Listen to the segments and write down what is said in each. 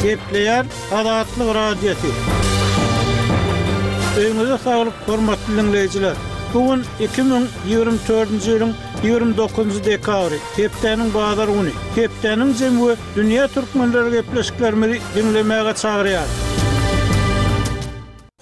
Gepleýär Azatlyk Radiosy. Öýüňize saglyk, hormatly diňleýjiler! Bu gün 2024-nji ýylyň 29-njy dekabry, hepdäniň bazar güni. Hepdäniň jemi we dünýä türkmenleri gepleşiklerimizi diňlemäge çagyrýarys.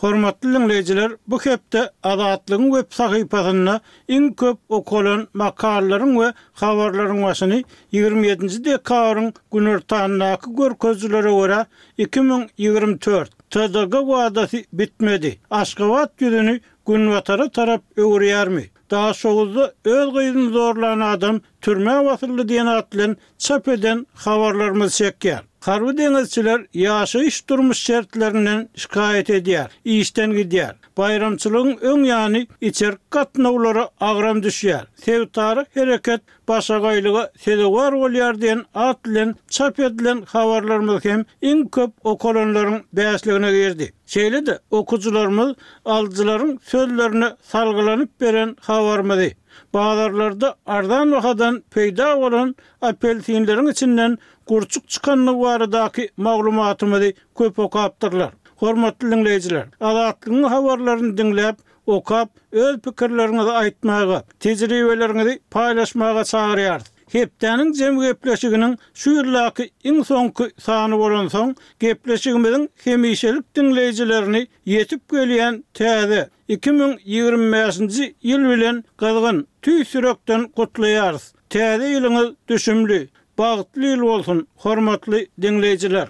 Hormatly diňleýjiler, bu hepde Azatlygyň web sahypasynda iň köp okalan makalalaryň we habarlaryň başyny 27-nji dekabryň günortandaky görkezijilere görä, 2024, TDG wadasy bitmedi, Aşgabat ýüzüni günbatara tarap öwürýärmi? Daşoguzda öz gyzyny zorlan adam türmä basyldy diýen at bilen çap eden habarlarymyz çekýär. Harby deňizçiler ýaşaýyş-durmuş şertlerinden şikaýat edýär, işden gidýär. Baýramçylygyň öň ýany içerki gatnawlara agram düşýär, sebitara hereket başagaýlyga sezewar bolýar diýen at bilen çap edilen habarlarymyz hem iň köp okalanlaryň bäşligine girdi. Şeýle-de okyjylarymyz alyjylaryň sözlerine salgylanyp beren habarymyzy, bazarlarda arzan bahadan peýda bolan apelsinleriň içinden gurçuk çykandygy baradaky maglumatymyzy köp okapdyrlar. Hormatly diňleýjiler, Azatlygyň habarlaryny diňläp, okap, öz pikirleriňizi aýtmaga, tejribeleriňizi paýlaşmaga çagyrýarys. Hepdäniň jemi gepleşiginiň şu ýyldaky iň soňky sany bolansoň, gepleşigimiziň hemişelik diňleýjilerini ýetip gelýän täze, 2025-nji ýyl bilen gyzgyn, tüýs ýürekden gutlaýarys. Täze ýylyňyz düşümli, Bagtly ýyl bolsun, hormatly diňleýjiler!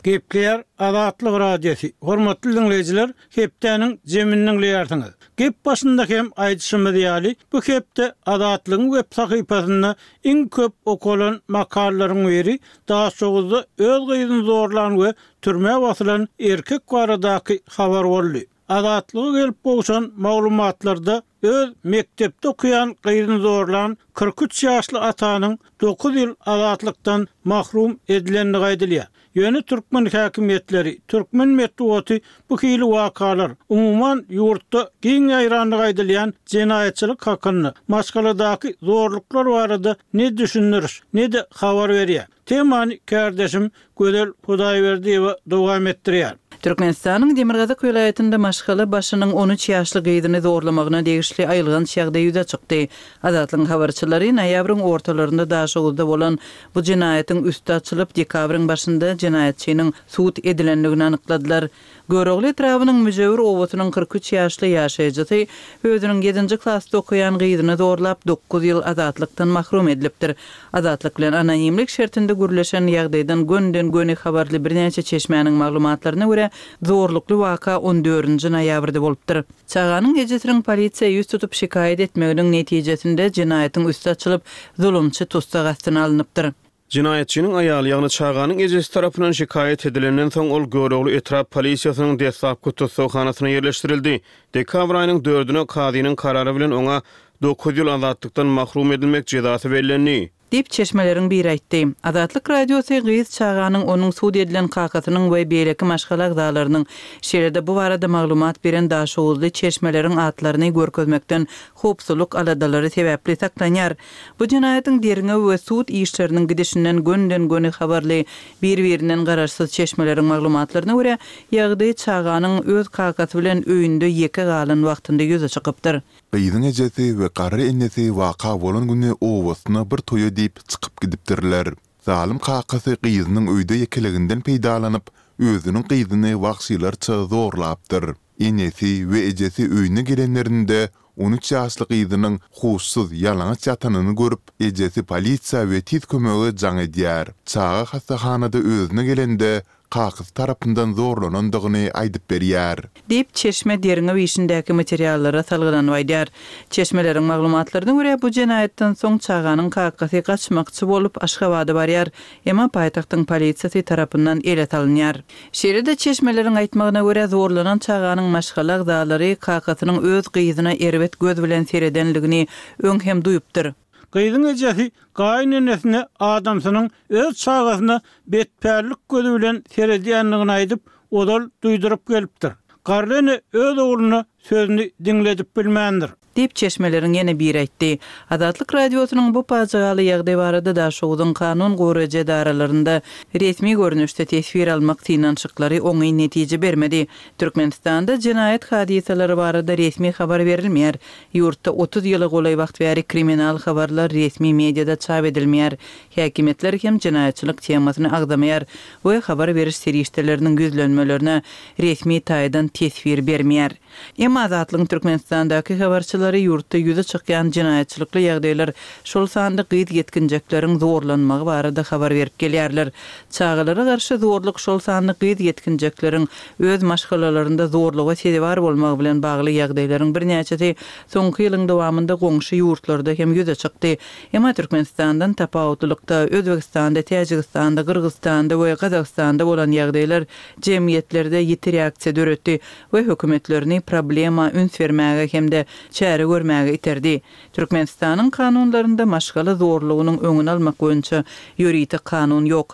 Gepleýär Azatlyk Radiosy, Hormatly diňleýjiler, hepdäniň jemini diňleýärsiňiz. Gep başynda hem aýdyşymyz ýaly, bu hepde Azatlygyň web sahypasynda iň köp okalan makalalaryň biri Daşoguzda öz gyzyny zorlan we türmä basylan erkek baradaky habar boldy. Azatlyga gelip gowşan maglumatlarda öz mekdepde okaýan gyzyny zorlan 43 ýaşly atanyň dokuz ýyl azatlykdan mahrum edilendigi aýdylýar. Ýöne türkmen häkimiýetleri, türkmen metbugaty bu hili wakalar, umuman ýurtda giň ýaýrandygy aýdylýan jenaýatçylyk hakynda, maşgaladaky zorluklar barada ne düşündiriş, ne-de habar berýär. Temany kärdeşim Gözel Hudaýberdiýewa dowam etdirýär. Türkmenistanyň demirgazyk welaýatynda maşgala başynyň 13 ýaşly gyzyny zorlamagyna degişli aýylganç ýagdaý ýüze çykdy. Azatlygyň habarçylary noýabryň ortalarynda Daşoguzda bolan bu jenaýatyň üsti açylyp, dekabryň başynda jenaýatçynyň sud edilendigini anykladylar. Görogly etrabynyň Müjewür obasynyň 43 ýaşly ýaşaýjysy özüniň ýedinji klasda okaýan gyzyny zorlap, dokuz ýyl azatlykdan mahrum edilipdir. Azatlyk bilen anonimlik şertinde gürleşen ýagdaýdan gönden-göni habarly birnäçe çeşmäniň maglumatlaryna görä, zorlukly waka on dördünji noýabrda bolupdyr. Çaganyň ejesiniň polisiýa ýüz tutup şikaýat etmeginiň netijesinde jenaýatyň üsti açylyp, zulumçy tussag astyna alnypdyr. Jenaýatçynyň aýaly, ýagny çaganyň ejesi tarapyndan şikaýat edilenden soň, ol Görogly etrap polisiýasynyň deslapky tussaghanasyna ýerleşdirildi. Dekabr aýynyň dördüne kazynyň karary bilen oňa dokuz ýyl azatlykdan mahrum edilmek jezasy bellendi. Diýip, çeşmeleriň biri aýtdy. Azatlyk Radiosy gyz çaganyň onuň sud edilen kakasynyň we beýleki maşgala agzalarynyň, şeýle-de bu barada maglumat beren daşoguzly çeşmeleriň atlaryny görkezmekden howpsuzlyk aladalary sebäpli saklanýar. Bu jenaýatyň derňew we sud işleriniň gidişinden gönden-göni habarly, bir-birinden garaşsyz çeşmeleriň maglumatlaryna görä, ýagdaý çaganyň öz kakasy bilen öýünde ýeke galan wagtynda ýüze çykypdyr. Gyzyň ejesi we garry enesi waka bolan güni obasyna bir toýa diýip çykyp gidipdirler. Zalym kakasy gyzynyň öýde ýekeliginden peýdalanyp, özüniň gyzyny wagşylarça zorlapdyr. Enesi we ejesi öýüne gelenlerinde 13 ýaşly gyzynyň huşsuz, ýalaňaç ýatanyny görüp, ejesi polisiýa we tiz kömege jaň edýär. Çaga hassahanada özüne gelende, kakasy tarapyndan zorlanandygyny aýdyp berýär. Diýip, çeşme derňew işindäki materiallara salgylanyp aýdýar. Çeşmeleriň maglumatlaryna görä, bu jenaýatdan soň çaganyň kakasy gaçmakçy bolup, Aşgabada barýar, emma paýtagtyň polisiýasy tarapyndan ele salynýar. Şeýle-de, çeşmeleriň aýtmagyna görä, zorlanan çaganyň maşgala agzalary kakasynyň öz gyzyna erbet göz bilen seredenligini öň hem duýupdyr. Gyzyň ejesi gaýynenesine adamsynyň öz çagasyna betpällik gözi bilen seredýändigini aýdyp, ozal duýduryp gelipdir. Garry ene öz ogluna sözüni diňledip bilmändir. Diýip, çeşmeleriň ýene biri aýtdy. Azatlyk Radiosynyň bu pajygaly ýagdaý barada Daşoguzyň kanun goraýjy edaralarynda resmi görnüşde teswir almak synanyşyklary oňyn netije bermedi. Türkmenistanda jenaýat hadysalary barada resmi habar berilmeýär. Ýurtda 30 ýyla golaý wagt bäri kriminal habarlar resmi mediada çap edilmeýär. Häkimiýetler hem jenaýatçylyk temasyny agzamaýar we habar beriş serişdeleriniň ýüzlenmelerine resmi taýdan teswir bermeýär. Emma Azatlygyň Türkmenistandaky habarçylary ýurtda ýüze çykýan jenaýatçylykly ýagdaýlar, şol sanda gyz ýetginjekleriň zorlanmagy barada habar berip gelýärler. Çagalara garşy zorluk, şol sanda gyz ýetginjekleriň öz maşgalalarynda zorluga sezewar bolmagy bilen bagly ýagdaýlaryň birnäçesi soňky ýylyň dowamynda goňşy ýurtlarda hem ýüze çykdy. Emma Türkmenistandan tapawutlylykda, Özbegistanda, Täjigistanda, Gyrgyzystanda we Gazagystanda bolan ýagdaýlar jemgyýetlerde ýiti reaksiýa döretdi. we hökümetlerini problema üns bermäge hem-de çäre görmäge iterdi. Türkmenistanyň kanunlarynda maşgala zorlugynyň öňüni almak boýunça ýörite kanun ýok.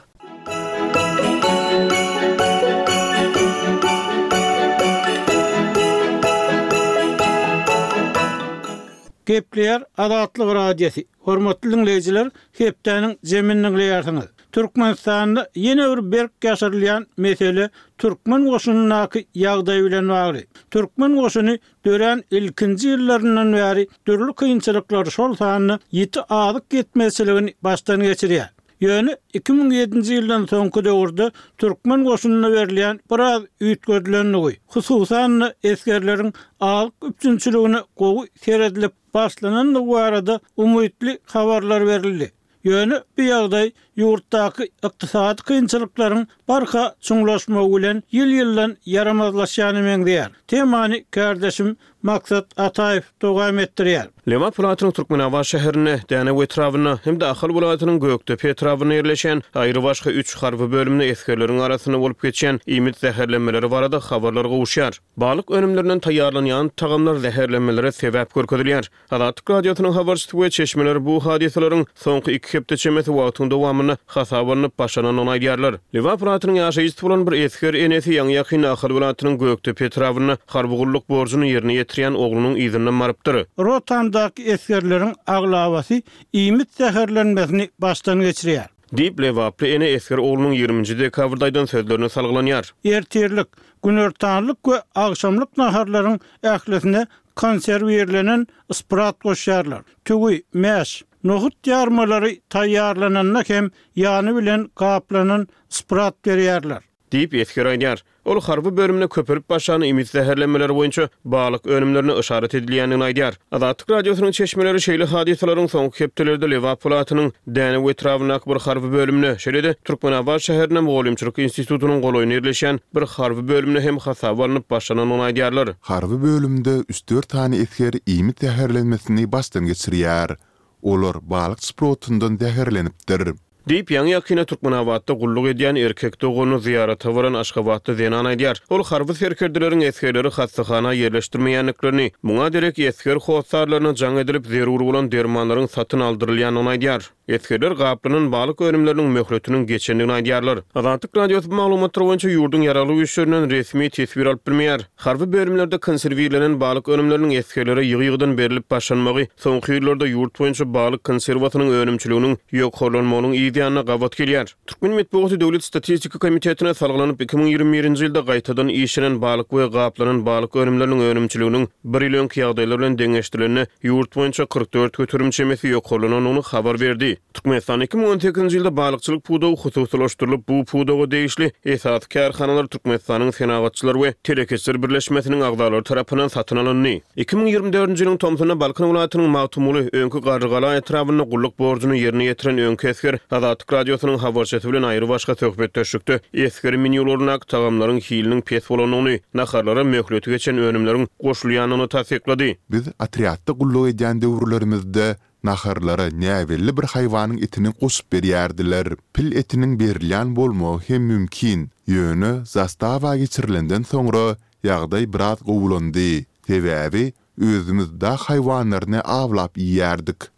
Gepleýär Azatlyk Radiosy, Hormatly diňleýjiler, hepdäniň jemini diňleýärsiňiz. Türkmenistanda ýene bir berk ýaşyrylýan mesele türkmen goşunyndaky ýagdaý bilen bagly. Türkmen goşuny dörän ilkinji ýyllaryndan bäri dürli kynçylyklary, şol sanda ýiti azyk ýetmezçiligini başdan geçirýär. Ýöne 2007-nji ýyldan soňky döwürde türkmen goşunyna berilýän biraz üýtgedilendigi, hususan-da esgerleriň azyk üpjünçiligine gowy seredilip başlanandygy barada umytly habarlar berildi. Ýöne bu ýagdaý ýurtdaky ykdysady kynçylyklaryň barha çuňlaşmagy bilen ýyl-ýyldan ýaramazlaşýana meňzeýär. Temany kärdeşim Maksat Ataýew dowam etdirýär. Lebap welaýatynyň Türkmenabat şäherinde, Dänew etrabynda hem-de Ahal welaýatynyň Gökdepe etrabynda ýerleşýän aýrybaşga üç harby bölümde esgerleriň arasynda bolup geçýän iýmit zäherlenmeleri barada habarlar gowuşýar. Balyk önümlerinden taýýarlanýan tagamlar zäherlenmelere sebäp görkezilýär. Azatlyk Radiosynyň habarçysy we çeşmeleri bu hadysalaryň soňky iki hepde çemesi wagtyň dowamynda hasaba alnyp başlanandygyny aýdýarlar. Lebap welaýatynyň ýaşaýjysy bolan bir esger enesi ýaňy-ýakynda Ahal welaýatynyň Gökdepe etrabynda harby gulluk borjuny ýerine ýetirýän oglunyň yzyndan barypdyr. Rotamdaky esgerleriň aglabasy iýmit zäherlenmesini başdan geçirýär. Diýip, lebaply ene esger oglunyň ýigriminji dekabrda aýdan sözlerine salgylanýar. Ertirlik, günortanlyk we agşamlyk naharlaryň ählisine konserwirlenen sprat goşýarlar. Tüwi, mäş, nohut ýarmalary taýýarlananda hem ýany bilen gaplanan sprat berýärler. Diýip, esger aýdýar. Ol harby bölümde köpelip başlan iýmit zäherlenmeleri boýunça balyk önümlerine yşarat edilýändigini aýdýar. Azatlyk Radiosynyň çeşmeleri şeýle hadysalaryň soňky hepdelerde Lebap welaýatynyň Dänew etrabyndaky bir harby bölümde, şeýle-de Türkmenabat şäherinde Mugallymçylyk institutynyň golaýynda ýerleşýän bir harby bölümde hem hasaba alnyp başlanandygyny aýdýarlar. Harby bölümde üç-dört sany esger iýmit zäherlenmesini başdan geçirýär. Olar balyk şprotyndan zäherlenipdir. Diýip, ýaňy-ýakynda Türkmenabatda gulluk edýän erkek doganyny zyýarata baran aşgabatly zenan aýdýar. Ol harby serkerdeleriň esgerleri hassahana ýerleşdirmeýändiklerini, muňa derek esger hossarlaryna jaň edilip, zerur bolan dermanlaryň satyn aldyrylýandygyny aýdýar. Esgerler gaplanan balyk önümleriniň möhletiniň geçendigini aýdýarlar. Azatlyk Radiosy bu maglumatlar boýunça ýurduň Ýaragly Güýçlerinden resmi teswir alyp bilmeýär. Harby bölümlerde konserwirlenen balyk önümleriniň esgerlere ýygy-ýygydan berlip başlanmagy soňky ýyllarda ýurt boýunça balyk konserwasynyň önümçiliginiň ýokarlanmagynyň yz ýanyna gabat gelýär. Türkmen metbugaty Döwlet statistika komitetine salgylanyp, 2021-nji ýylda gaýtadan işlenen balyk we gaplanan balyk önümleriniň önümçiliginiň bir ýyl öňki ýagdaýlar bilen deňeşdirilende ýurt boýunça 44% çemesi ýokarlanandygyny habar berdi. Türkmenistanda 2018-nji ýylda balykçylyk pudagy hususylaşdyrylyp, bu pudaga degişli esasy kärhanalar Türkmenistanyň Senagatçylar we telekeçiler birleşmesiniň agzalary tarapyndan satyn alyndy. 2024-nji ýylyň tomsunda Balkan welaýatynyň Magtymguly, öňki Garrygala etrabynda gulluk borjuny ýerine ýetiren öňki esger Azatlyk Radiosynyň habarçysy bilen aýrybaşga söhbetdeşlikde esger menýularyndaky tagamlaryň hiliniň pes bolandygyny, naharlara möhleti geçen önümleriň goşulýandygyny tassyklady. Biz otrýadda gulluk edýän döwürlerimizde Naharlara näbelli bir haýwanyň etini goşup berýärdiler. Pil etiniň berilýän bolmagy hem mümkin. Ýöne zastawa geçirilenden soňra ýagdaý biraz gowulandy. Sebäbi özümiz dag haýwanlaryny awlap iýýärdik.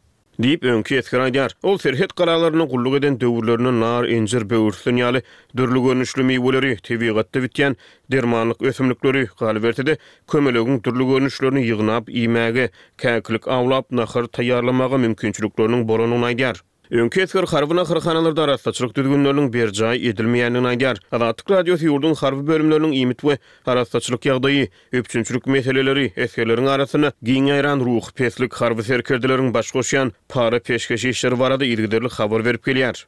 Diýip, öňki esger aýdýar. Ol serhet galalarynda gulluk eden döwürlerinde nar, injir, böwürslen ýaly dürli görnüşli miweleri, tebigatda bitýän dermanlyk ösümlikleri, galyberse-de, kömelegiň dürli görnüşlerini ýygnap iýmäge, käkilik awlap, nahar taýýarlamaga mümkinçilikleriniň bolandygyny aýdýar. Öňki esger harby naharhanalarda arassaçylyk düzgünleriniň berjaý edilmeýändigini aýdýar. Azatlyk Radiosy ýurduň harby bölümleriniň iýmit we arassaçylyk ýagdaýy, üpjünçilik meseleleri, esgerleriň arasynda giň ýaýran ruhy peslik, harby serkerdeleriň baş goşýan para-peşgeş işleri barada yzygiderli habar berip gelýär.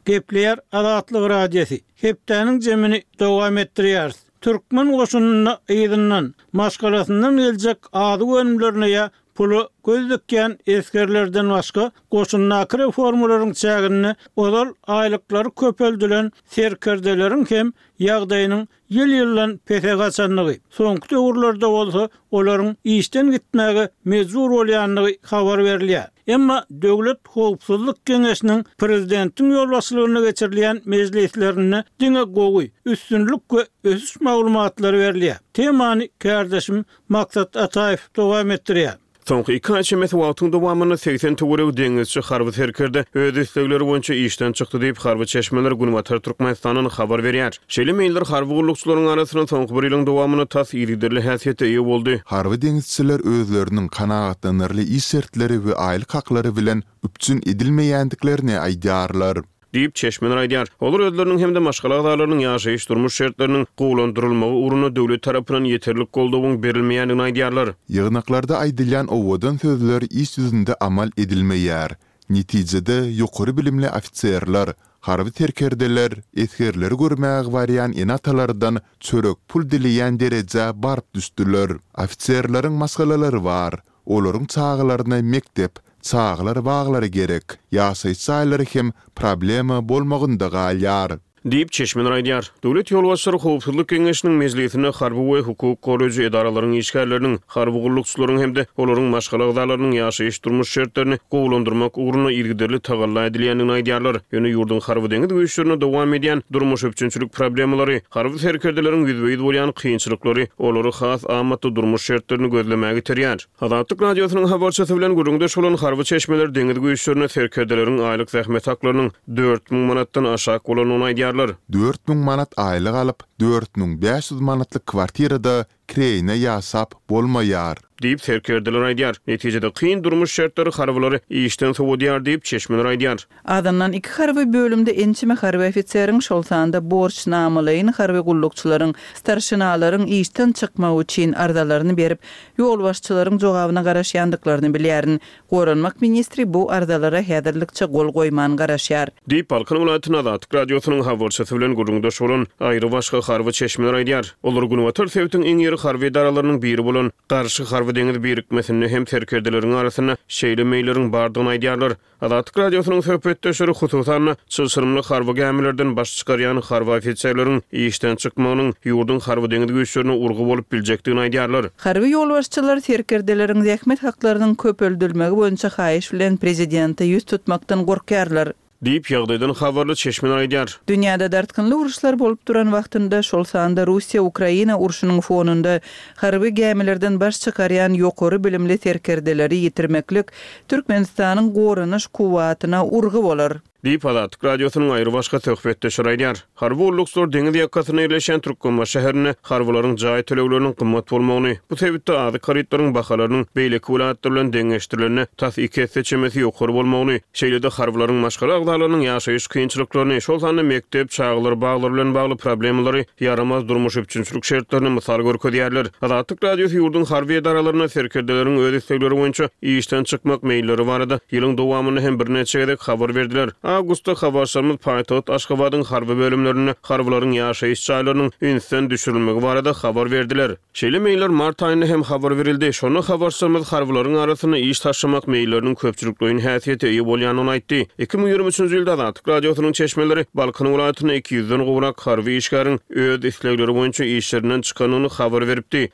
Gepleýär Azatlyk Radiosy. Hepdäniň jemini dowam etdirýäris. Türkmen goşunynda yzyndan, maşgalasyndan geljek azyk önümlerine ýa pula göz dikýän esgerlerden başga, goşundaky reformalaryň çäginde ozal aýlyklary köpeldilen serkerdeleriň hem ýagdaýynyň ýyl-ýyldan pese gaçandygy, soňky döwürlerde bolsa olaryň işden gitmäge mejbur bolýandygy habar berilýär. Emma Döwlet howpsuzlyk geňeşiniň prezidentiň ýolbaşçylygynda geçirilýän mejlislerinde diňe gowy, üstünlik we ösüş maglumatlary berilýär. Temany kärdeşim Maksat Ataýew dowam etdirýär. Soňky iki aý çemesi wagtyň dowamynda 80 töweregi deňizçi harby serkerde öz islegleri boýunça işden çykdy diýip, harby çeşmeler Günbatar Türkmenistandan habar berýär. Şeýle meýiller harby gullukçylaryň arasynda soňky bir ýylyň dowamynda tas yzygiderli häsiýete eýe boldy. Harby deňizçiler özleriniň kanagatlanarly iş şertleri we aýlyk haklary bilen üpjün edilmeýändiklerini aýdýarlar. Diýip, çeşmeler aýdýar. Olar özleriniň hem-de maşgala agzalarynyň ýaşaýyş-durmuş şertleriniň gowulandyrylmagy ugrunda döwlet tarapyndan ýeterlik goldawyň berilmeýändigini aýdýarlar. Ýygnaklarda aýdylýan owadan sözler iş ýüzünde amal edilmeýär. Netijede, ýokary bilimli ofiserler, harby serkerdeler esgerleri görmäge barýan ene-atalardan çörek pul dileýän derejä baryp düşdüler. Ofiserleriň maşgalalary bar. Olaryň çagalaryna mekdep, çagalar baglary gerek. Ýaşaýyş jaýlary hem problema bolmagynda galýar. Diýip, çeşmeler aýdýar. Döwlet ýolbaşçylary Howpsuzlyk geňeşiniň mejlisinde harby we hukuk goraýjy edaralaryň işgärleriniň, harby gullukçylaryň hem-de olaryň maşgala agzalarynyň ýaşaýyş-durmuş şertlerini gowulandyrmak ugrunda yzygiderli tagalla edilýändigini aýdýarlar. Ýöne ýurduň harby-deňiz güýçlerinde dowam edýän durmuş-üpjünçilik problemalary, harby serkerdeleriň ýüzbe-ýüz bolýan kynçylyklary olary has amatly durmuş şertlerini gözlemäge iterýär. Azatlyk Radiosynyň habarçysy bilen gürrüňdeş bolan harby çeşmeler deňiz güýçlerinde serkerdeleriň aýlyk zähmet haklarynyň 4000 manatdan aşak bolandygyny aýdýarlar. 4000 manat aýlyk alyp, 4500 manatlyk kwartirada kireýine ýaşap bolmaýar. Diýip, serkerdeler aýdýar. Netijede, kyn durmuş şertleri harbylary işden sowadýar diýip, çeşmeler aýdýar. Azyndan iki harby bölümde ençeme harby ofiseriň, şol sanda borçnamalaýyn harby gullukçylaryň, starşinalaryň işden çykmagy üçin arzalaryny berip, ýolbaşçylaryň jogabyna garaşýandyklaryny bilýärin. Goranmak ministri bu arzalara häzirlikçe gol goýman garaşýar. Diýip, Balkan welaýatynda Azatlyk Radiosynyň habarçysy bilen gürrüňdeş bolan aýrybaşga harby çeşmeler aýdýar. Olar günbatar sebitiň iň iri harby edaralarynyň biri bolan Garşy harby-deňiz birikmesinde hem serkerdeleriň arasynda şeýle meýilleriň bardygyny aýdýarlar. Azatlyk Radiosynyň söhbetdeşleri, hususan-da, çylşyrymly harby gämilerden baş çykarýan harby ofiserleriň işden çykmagynyň ýurduň harby-deňiz güýçlerine urgy bolup biljekdigini aýdýarlar. Harby ýolbaşçylar serkerdeleriň zähmet haklarynyň köpeldilmegi boýunça haýyş bilen prezidente ýüz tutmakdan gorkýarlar. Diýip, ýagdaýdan habarly çeşmeler aýdýar. Dünýäde dartgynly uruşlar bolup duran wagtynda, şol sanda Russiýa-Ukraina urşunyň fonunda harby gämilerden baş çykarýan ýokary bilimli serkerdeleri ýitirmeklik Türkmenistanyň goranyş kuwwatyna urgy bolar. Diýip, Azatlyk Radiosynyň aýrybaşga söhbetdeşleri aýdýar. Harby gullukçylar deňiz ýakasynda ýerleşýän Türkmenbaşy şäherinde harbylaryň jaý tölegleriniň gymmat bolmagyny, bu sebitde azyk harytlaryň bahalarynyň beýleki welaýatlar bilen deňeşdirilende tas iki esse çemesi ýokary bolmagyny, şeýle-de harbylaryň maşgala agzalarynyň ýaşaýyş kynçylyklaryny, şol sanda mekdep, çagalar baglary bilen bagly problemalary, ýaramaz durmuş üpjünçilik şertlerini mysal görkezýärler. Azatlyk Radiosy ýurduň harby edaralarynda serkerdeleriň öz islegleri boýunça işden çykmak meýilleri barada ýylyň dowamynda hem birnäçe gezek habar berdiler. Awgustda habarçylarymyz paýtagt Aşgabadyň harby bölümlerinde harbylaryň ýaşaýyş jaýlarynyň ünsden düşürilmegi barada habar berdiler. Şeýle meýiller mart aýynda hem habar berildi. Şonda habarçylarymyz harbylaryň arasynda iş taşlamak meýilleriniň köpçülikleýin häsiýete eýe bolýandygyny aýtdy. 2023-nji ýylda Azatlyk Radiosynyň çeşmeleri Balkan welaýatynda 200-den gowrak harby işgäriň öz islegleri boýunça işlerinden çykandygyny habar beripdi.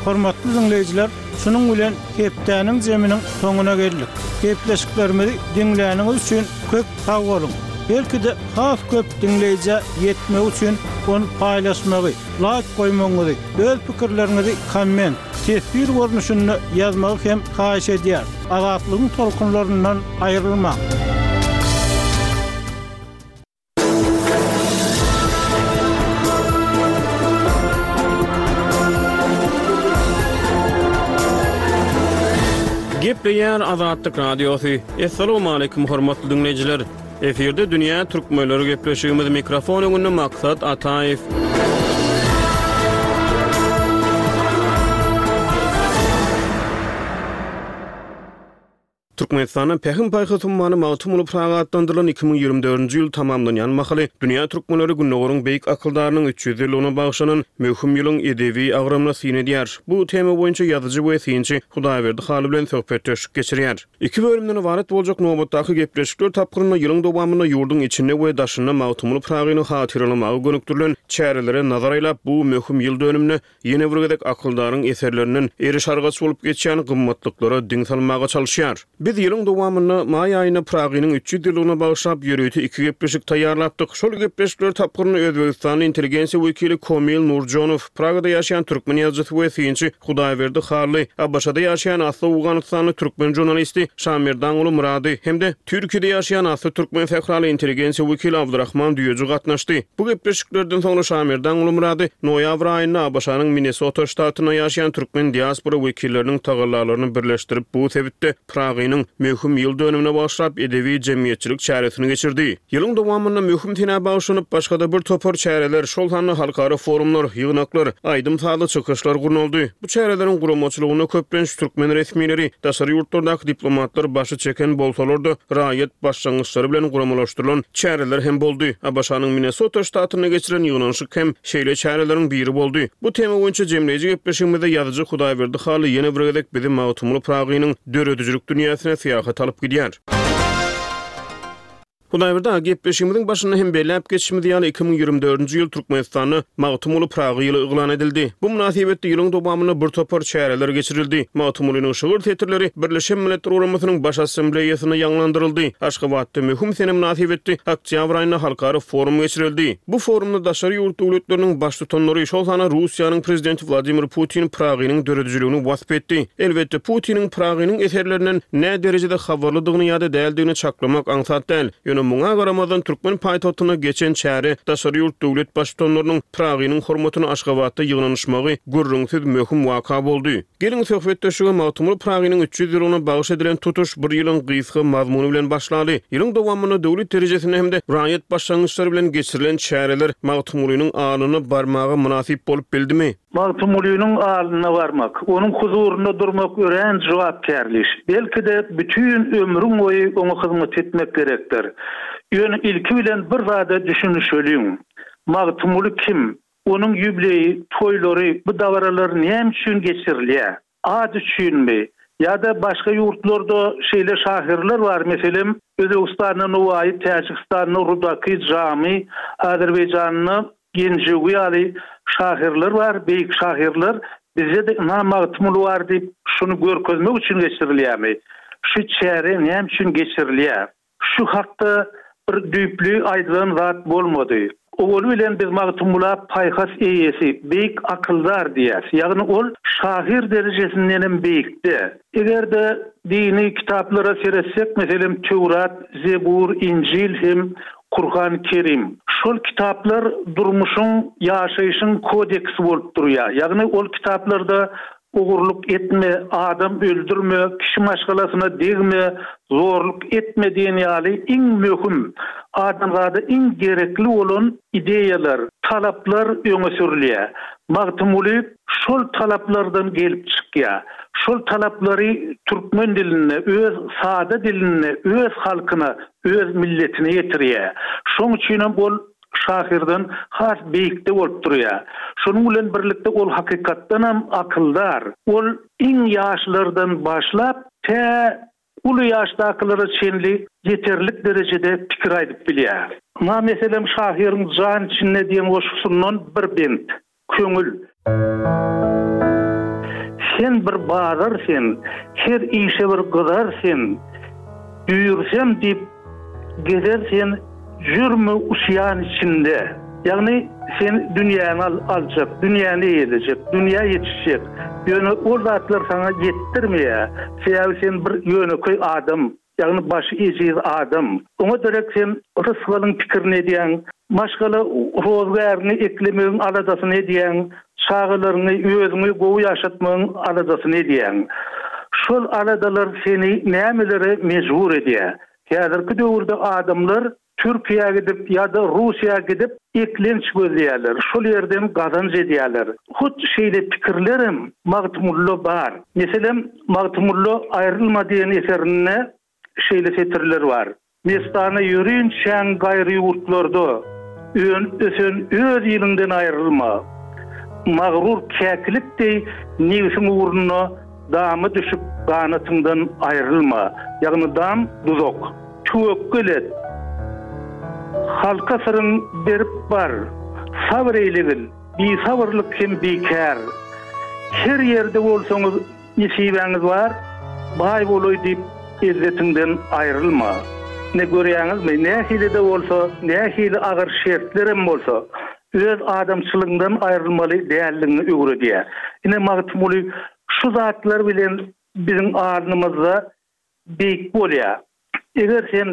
Hormatly diňleýjiler, şunuň bilen hepdäniň zeminiň soňuna geldik. Gepleşiklerimizi diňläniňiz üçin köp sag boluň! Belki-de has köp diňleýjä ýetmegi üçin ony paýlaşmagy, laýk goýmagyňyzy, öz pikirleriňizi komment, teswir görnüşinde ýazmagy hem haýyş edýäris. Azatlygyň tolkunlaryndan aýrylmaň! Gepleýär Azatlyk Radiosy. Assalamualaikum hormatly diňleýjiler. Efirde dünýä türkmenleri gepleşigimiz mikrofon öňünde Maksat Ataýew. Türkmenistanda Pähim-paýhas ummany Magtymguly Pyragy atlandyrylan 2024-nji ýyl tamamlanýan mahaly dünýä türkmenleri Gündogaryň beýik akyldarynyň 300 ýyllygyna bagyşlanan möhüm ýylyň edebi agramyna syn edýär. Bu tema boýunça ýazyjy we synçy Hudaýberdi Hally bilen söhbetdeşlik geçirýär. Iki bölümden ybarat boljak nobatdaky gepleşikler tapgyrynda ýylyň dowamynda ýurduň içinde we daşynda Magtymguly Pyragyny hatyralamaga gönükdirilen çärelere nazar aýlap, bu möhüm ýyl dönüminde ýene bir gezek akyldaryň eserlerinden eriş-argaç bolup geçýän gymmatlyklara diň salmaga çalyşýar. Biz ýylyň dowamynda, maý aýynda Pyragynyň 300 ýyllygyna bagyşlap ýörite iki gepleşik taýýarlapdyk. Şol gepleşikler tapgyrynda özbegistanly intelligensiýa wekili Komil Nurjonow, Pragada ýaşaýan türkmen ýazyjysy we synçy Hudaýberdi Hally, ABŞ-da ýaşaýan asly owganystanly türkmen žurnalisti Şamerdanguly Myrady hem-de Türkiýede ýaşaýan asly türkmen sähraly intelligensiýa wekili Abdyrahman Düýeji gatnaşdy. Bu gepleşiklerden soňra Şamerdanguly Myrady noýabr aýynda ABŞ-nyň Minnesota ştatynda ýaşaýan türkmen diaspora wekilleriniň tagallalaryny birleşdirip bu sebitde Pyragynyň möhüm ýyl dönümine bagyşlap edebi-jemgyýetçilik çäresini geçirdi. Ýylyň dowamynda möhüm senä bagyşlanyp başga-da bir topar çäreler, şol sanda halkara forumlar, ýygnaklar, aýdym-sazly çykyşlar gurnaldy. Bu çäreleriň guramaçylygynda köplenç türkmen resmileri, daşary ýurtlardaky diplomatlar başy çeken bolsalar-da, raýat başlangyçlary bilen guramalaşdyrylan çäreler hem boldy. ABŞ-nyň Minnesota ştatynda geçirilen ýygnanyşyk hem şeýle çäreleriň biri boldy. Bu tema boýunça jemleýji gepleşigimizde ýazyjy Hudaýberdi Hally ýene bir gezek bizi Magtymguly Pyragynyň döredijilik dünýäsine syýahata alyp gidýär. Hudaýberdi aga, gepleşigimiziň başynda hem belläp geçişimiz ýaly, 2024-nji ýyl Türkmenistanda Magtymguly Pyragy ýyly yglan edildi. Bu mynasybetli ýylyň dowamynda bir topar çäreler geçirildi. Magtymgulynyň şygyr setirleri Birleşen Milletler Guramasynyň Baş Assambleýasynda ýaňlandyryldy. Aşgabatda möhüm sene mynasybetli oktýabr aýynda halkara forum geçirildi. Bu forumda daşary ýurt döwletleriniň baştutanlary, şol sanda Russiýanyň Prezidenti Wladimir Putin Pyragynyň döredijiligini wasp etdi. Elbetde, Putiniň Pyragynyň eserlerinden nä derejede habarlydygyny ýa-da däldigini çaklamak aňsat däl. Ýöne muňa garamazdan, türkmen paýtagtynda geçen çäre daşary ýurt döwlet baştutanlarynyň Pyragynyň hormatyna Aşgabatda ýygnanyşmagy gürrüňsiz möhüm waka boldy. Geliň, söhbetdeşlige Magtymguly Pyragynyň 300 ýyllygyna bagyş edilen tutuş bir ýylyň gysga mazmuny bilen başlaly. Ýylyň dowamynda döwlet derejesinde hem-de raýat başlangyçlary bilen geçirilen çäreler Magtymgulynyň alyna barmaga mynasyp bolup bildimi? Magtymgulynyň alyna barmak, onuň huzurynda durmak örän jogapkärli iş. Belki-de, bütin ömrüň boýy oňa hyzmat etmek gerekdir. Ýöne ilki bilen bir zada düşünişeliň. Magtymguly kim? Onuň ýubileýi, toýlary, bu dabaralar näme üçin geçirilýär? At üçinmi? Ýa-da başga ýurtlarda şeýle şahyrlar bar, meselem, Özbegistanda Nowaýy, Täjigistanda Rudaky, Jamy, Azerbaýjanda Genjewi ýaly şahyrlar bar, beýik şahyrlar. Bizde-de ynha Magtymguly bar diýip, şuny görkezmek üçin geçirilýärmi? Şu çäre näme üçin geçirilýär? Şu hakda bir düýpli aýdylan zat bolmady. Owaly bilen biz Magtymgula paýhas eýesi, beýik akyldar diýýäs. Ýagny ol şahyr derejesindenem beýikde. Eger-de dini kitaplara seretsek, meselem, Töwrat, Zebur, Injil hem Kurhan Kerim. Şol kitaplar durmuşyň, ýaşaýşyň kodeksi bolup durýar. Ýagny ol kitaplarda Ogurlyk etme, adam öldürme, kişi maşgalasyna degme, zorluk etme diýen ýaly iň möhüm, adamzada iň gerekli bolan ideýalar, talaplar öňe sürülýär. Magtymguly şol talaplardan gelip çykýar. Şol talaplary türkmen dilinde, öz sada dilinde öz halkyna, öz milletine ýetirýär. Şoň üçinem ol şahyrdan has beýikde bolup durýar. Şonuň bilen birlikde ol hakykatdanam akyldar. Ol iň ýaşlardan başlap, tä uly ýaşdakylara çenli ýeterlik derejede pikir aýdyp bilýär. Ynha, meselem, şahyryň Jan içinde diýen goşgusyndan bir bent. Köňül. Sen bir bazar sen, her işe bir gyzar sen, Düýrsem diýip gezer sen, Jürmi usýan içinde. Ýagny sen dünýäni aljak, dünýäni eýelejek, dünýä ýetişjek. Ýöne ol zatlar saňa ýetdirmeýär. Sebäbi sen bir ýönekeý adam, ýagny başy ejiz adam. Oňa derek sen rysgalyň pikirini edýäň, maşgala rozugäriňi eklemegiň aladasyny edýäň, çagalaryňy, özüňi gowy ýaşatmagyň aladasyny edýäň. Şol aladalar seni nämelere mejbur edýär? Häzirki döwürde adamlar Türkiýä gidip ýa-da Russiýa gidip eklenç gözleýärler, şol ýerden gazanç edýärler. Hut şeýle pikirlerem Magtymgulyda bar. Meselem, Magtymgulyda Aýrylma diýen eserinde şeýle setirler bar. Mestana ýörinçäň gaýry ýurtlarda, Önüp-ösen öz iliňden aýrylma. Magrur käkilik deý nebsiň ugrunda Dama düşüp ganatyňdan aýrylma, ýagny dam, duzak. Töwekgel et. Halka syryň berip bar. Sabyr eýlegil, bisabyrlyk hem bikär. Her ýerde bolsaňyz nesibäňiz bar, baý bolaý diýip ezzetiňden aýrylma. Ine görýäňizmi, nähili-de bolsa, nähili agyr şertlerem bolsa, öz adamçylygyňdan aýrylmaly däldigiňi öwredýär. Ine, Magtymguly şu zatlar bilen biziň alnymyzda beýik bolýar. Eger sen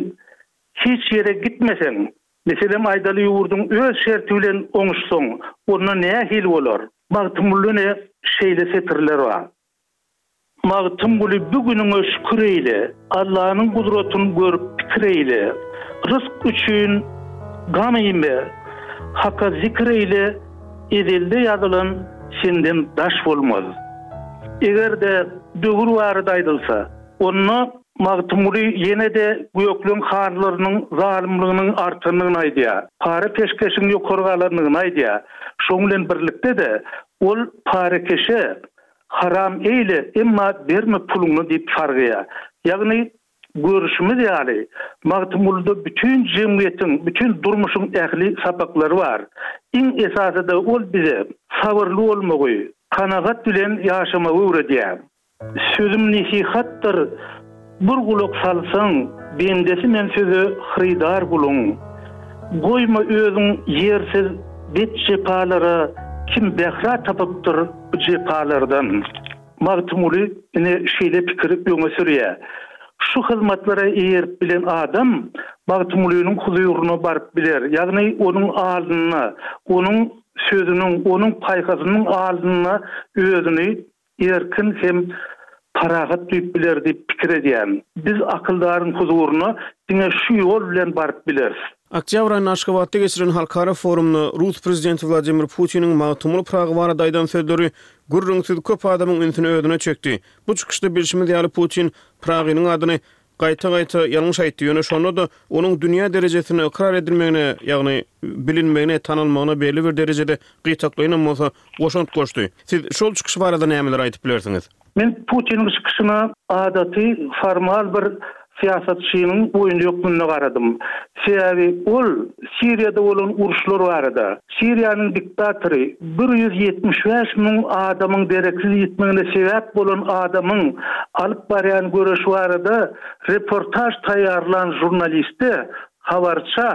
hiç ýere gitmeseň, meselem aýdaly ýurduň öz şerti bilen oňuşsaň, onda nähili bolar? Magtymgulyda ine şeýle setirler bar. Magtymguly bu günüňe şükür eýle, Allanyň gudratyn görüp pikir eýle. Ryzk üçin gam iýme, Haka zikir eýle, Ezelde ýazylan senden daş bolmaz. Eger-de döwür barada aýdylsa, onda Magtymguly ýene-de gökleň hanlarynyň zalymlygynyň artandygyny aýdýar, para-peşgeşiň ýokary galandygyny aýdýar. Şonuň bilen birlikde-de, ol parakeşe Haram eýle, emma berme puluňy diýip sargaýar. Ýagny, görüşimiz ýaly, Magtymgulyda bütin jemgyýetiň, bütin durmuşyň ähli sapaklary bar. Iň esasy-da ol bize sabyrly bolmagy, kanagat bilen ýaşamagy öwredýär. Sözüm nesihatdyr, bir gulak salsaň, bendesi men söze hyrydar guluň. Goýma özüň ýersiz bet jepalara, kim bähra tapypdyr bu jepalardan. Magtymguly ine şeýle pikiri öňe sürýär. Şu hyzmatlara eýerip bilen adam Magtymgulynyň huzuryna baryp biler, ýagny onuň alnynda, onuň sözüniň, onuň paýhasynyň alnynda özüni erkin hem parahat duýup biler diýip pikir edýärin. Biz akyldaryň huzuryna diňe şu ýol bilen baryp bileris. Oktýabr aýynda Aşgabatda geçirilen halkara forumda rus prezidenti Wladimir Putiniň Magtymguly Pyragy barada aýdan sözleri gürrüňsiz köp adamyň ünsüni özüne çekdi. Bu çykyşda bilşimiz ýaly Putin Pyragynyň adyny gaýta-gaýta ýalňyş aýtdy, ýöne şonda-da onuň dünýä derejesinde ykrar edilmegine, ýagny bilinmegine, tanalmagyna belli bir derejede gytaklaýynam bolsa goşant goşdy. Siz şol çykyş barada nämeler aýdyp bilersiňiz? Men Putiniň çykyşyna adaty formal bir syýasatçynyň oýny hökmünde garadym. Sebäbi ol Siriýada bolan uruşlar barada, Siriýanyň diktatory 175 müň adamyň dereksiz ýitmegine sebäp bolan adamyň alyp barýan göreşi barada reportaž taýýarlan žurnaliste, habarça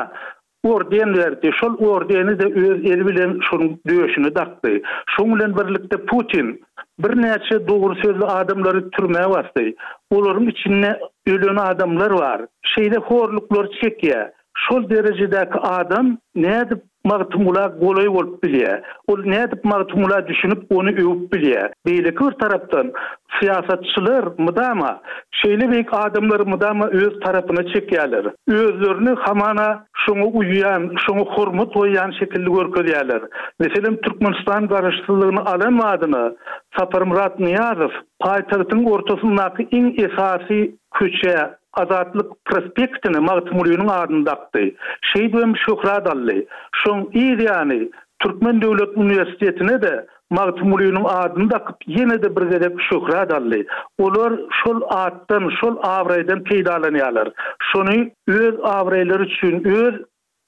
Orden berdi. Şol ordeni-de öz eli bilen şonuň döşüne dakdy. Şoň bilen birlikde Putin birnäçe dogry sözli adamlary türmä basdy. Olaryň içinde ölen adamlar bar. Şeýle horluklary çekýär. Şol derejedäki adam nädip Magtymgula golaý bolup bilýär? Ol nädip Magtymgula düşünip, ony öwüp bilýär? Beýleki bir tarapdan, syýasatçylar mydama şeýle beýik adamlary mydama öz tarapyna çekýärler. Özlerini hamana şoňa uýýan, şoňa hormat goýýan şekilli görkezýärler. Meselem, Türkmenistan garaşsyzlygyny alan badyna Saparmyrat Nyýazow paýtagtyň ortasyndaky iň esasy köçä, Azatlyk prospektine Magtymgulynyň adyny dakdy. Şeýdibem şöhrat aldy. Şoň yz ýany Türkmen döwlet uniwersitetine-de Magtymgulynyň adyny dakyp ýene-de bir gezek şöhrat aldy. Olar şol atdan, şol abraýdan peýdalanýarlar. Şony öz abraýlary üçin, öz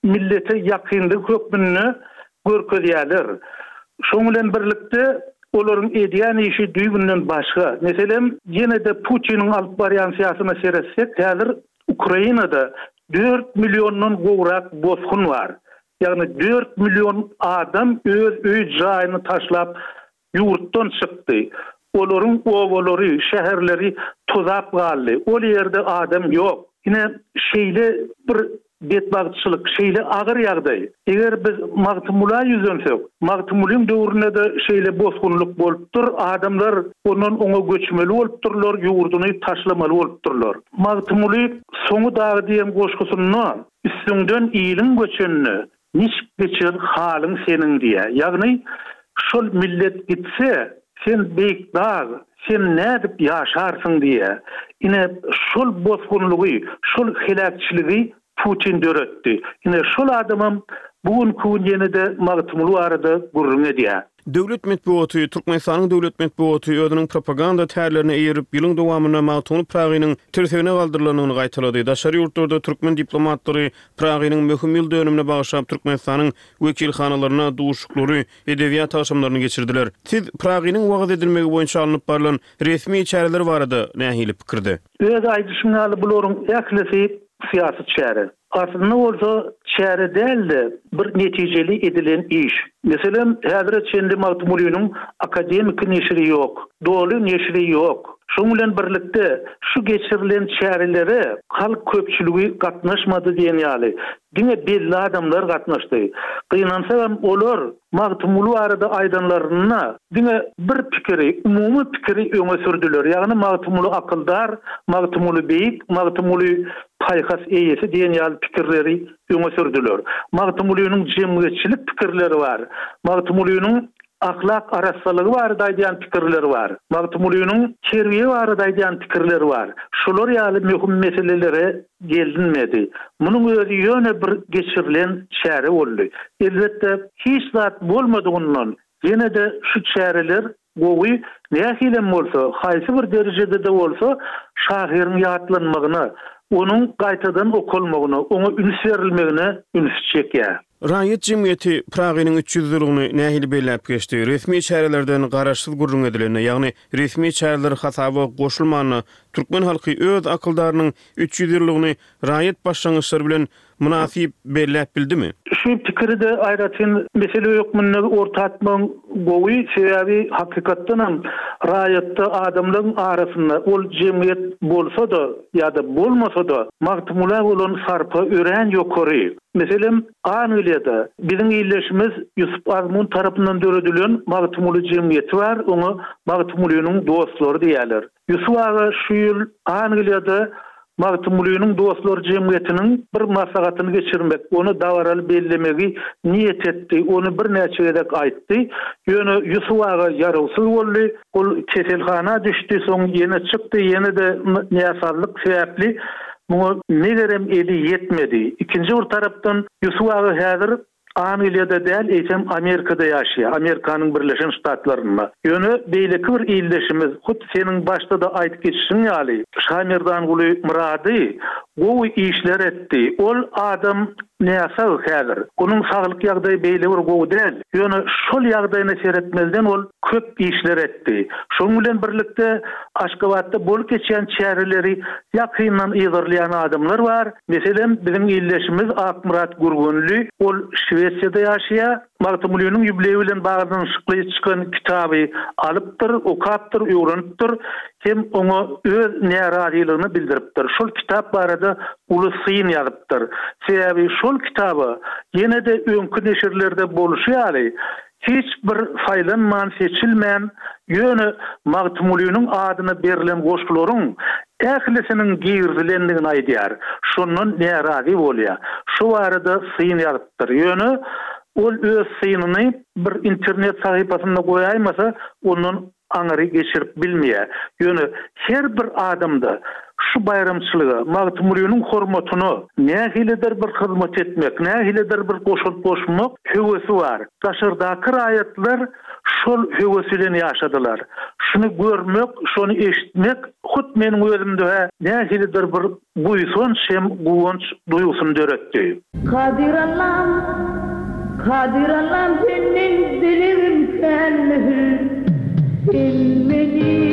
millete ýakynlygy hökmünde görkezýärler. Şoň bilen birlikde olaryň edýän işi düýbünden başga. Meselem, ýene-de Putiniň alyp barýan syýasyna seretsek, häzir Ukrainada. Dört milliondan gowrak bosgun bar. Ýagny dört million adam öz öý-jaýyny taşlap ýurtdan çykdy. Olaryň obalary, şäherleri tozap galdy. Ol ýerde adam ýok. Ine, şeýle bir betbagtçylyk, şeýle agyr ýagdaý. Eger biz Magtymgula ýüzlensek, Magtymgulyň döwründe-de şeýle bosgunlyk bolupdyr, adamlar ondan oňa göçmeli bolupdyrlar, ýurduny taşlamaly bolupdyrlar. Magtymguly Soňy dagy diýen goşgusynda Üstüňden iliň göçenine niçik geçer halyň seniň diýýär. Ýagny şol millet gitse, sen beýik dag, sen nädip ýaşarsyň diýýär. Ine, şol bosgunlygy, şol heläkçiligi Putin döretdi. Ine, şol adamam bu günki gün ýene-de Magtymguly barada gürrüň edýär. Döwlet metbugaty, Türkmenistanyň döwlet metbugaty özüniň propaganda tärlerine eýerip, ýylyň dowamynda Magtymguly Pyragynyň tirsegine galdyrylanyny gaýtalady. Daşary ýurtlarda türkmen diplomatlary Pyragynyň möhüm ýyl dönümine bagyşlap Türkmenistanyň wekilhanalarynda duşuşyklary, edebiýat agşamlaryny geçirdiler. Siz Pyragynyň wagyz edilmegi boýunça alnyp barlan resmi çäreler barada nähili pikirde? Öz aýdyşyň ýaly bularyň ählisi syýasy çäre. Aslynda bolsa çäre däl-de, bir netijeli edilen iş. Meselem, häzire çenli Magtymgulynyň akademiki neşiri ýok, doly neşiri ýok. Şonuň bilen birlikde, şu geçirilen çärelere halk köpçüligi gatnaşmady diýen ýaly, diňe belli adamlar gatnaşdy. Gynansagam, olar Magtymguly barada aýdanlarynda diňe bir pikiri, umumy pikiri öňe sürdüler, ýagny Magtymguly akyldar, Magtymguly beýik, Magtymguly paýhas eýesi diýen ýaly pikirleri öňe sürdüler. Magtymgulynyň jemgyýetçilik pikirleri bar. Magtymgulynyň ahlak arassalygy barada aýdýan pikirleri bar. Magtymgulynyň terbiýe barada aýdýan pikirleri bar. Şular ýaly möhüm meselelere gelinmedi. Munuň özi ýöne bir geçirilen çäre boldy. Elbetde, hiç zat bolmadygyndan ýene-de şu çäreler gowy, nähilem bolsa, haýsy bir derejede-de bolsa şahyryň ýatlanmagyna, onuň gaýtadan okalmagyna, oňa üns berilmegine ünsi çekýär. Raýat jemgyýeti Pyragynyň 300 ýyllygyny nähili belläp geçdi? Resmi çärelerden garaşsyz gürrüň edilende, ýagny resmi çäreler hasaba goşulmanda, türkmen halky öz akyldarynyň 300 ýyllygyny raýat başlangyçlary bilen mynasyp belläp bildimi? Şu pikiri-de aýratyn mesele hökmünde orta atmagyň gowy, sebäbi hakykatdanam raýatda adamlaryň arasynda ol jemgyýet bolsa-da ýa-da bolmasa-da Magtymgula bolan sarpa örän ýokary. Meselem, Angliýada biziň ildeşimiz Ýusup Azmun tarapyndan döredilen Magtymguly jemgyýeti bar, oňa Magtymgulynyň dostlary diýýärler. Ýusup aga şu ýyl Angliýada Magtymgulynyň dostlary jemgyýetiniň bir maslahatyny geçirmek, ony dabaraly bellemegi niýet etdi, ony birnäçe gezek aýtdy. Ýöne Ýusup aga ýarawsyz boldy. Ol keselhana düşdi, soň ýene çykdy, ýene-de näsazlyk sebäpli muňa megerem eli ýetmedi. Ikinji bir tarapdan Ýusup aga häzir Angliýada däl, eýsem Amerikada ýaşaýar, Amerikanyň Birleşen Ştatlarynda. Ýöne beýleki bir ildeşimiz, hut seniň başda-da aýdyp geçişiň ýaly, Şamerdanguly Myrady gowy işler etdi. Ol adam näsag häzir. Onuň saglyk ýagdaýy beýle bir gowy däl. Ýöne şol ýagdaýyna seretmezden ol köp işler etdi. Şonuň bilen birlikde Aşgabatda bolup geçýän çäreleri ýakyndan yzarlaýan adamlar bar. Meselem, biziň ildeşimiz Akmyrat Gürgenli, ol Şwesiýada ýaşaýar, Magtymgulynyň ýubileýi bilen baglanyşykly çykan kitaby alypdyr, okapdyr, öwrenipdir hem oňa öz närazylygyny bildiripdir. Şol kitap barada uly syn ýazypdyr. Sebäbi şol kitaba ýene-de öňki neşirlerde bolşy ýaly, Hiç bir saýlanman, seçilmän, ýöne Magtymgulynyň adyna berlen goşgularyň ählisiniň girizilendigini aýdýar. Şondan närazy bolýar. Şo barada syn ýazypdyr. Ýöne ol öz synyny bir internet sahypasynda goýaýmasa, ondan aňyry geçirip bilmeýär. Ýöne her bir adamda şu baýramçylyga, Magtymgulynyň hormatyna nähilidir bir hyzmat etmek, nähilidir bir goşant goşmak höwesi bar. Daşardaky raýatlar şol höwes bilen ýaşadylar. Şuny görmek, şony eşitmek hut meniň özümde-hä nähilidir bir Buýsanç hem guwanç duýgusyny döretdi. Kadyr Allam, Kadyr Allam senden dilegim kän möhür, Sen meni.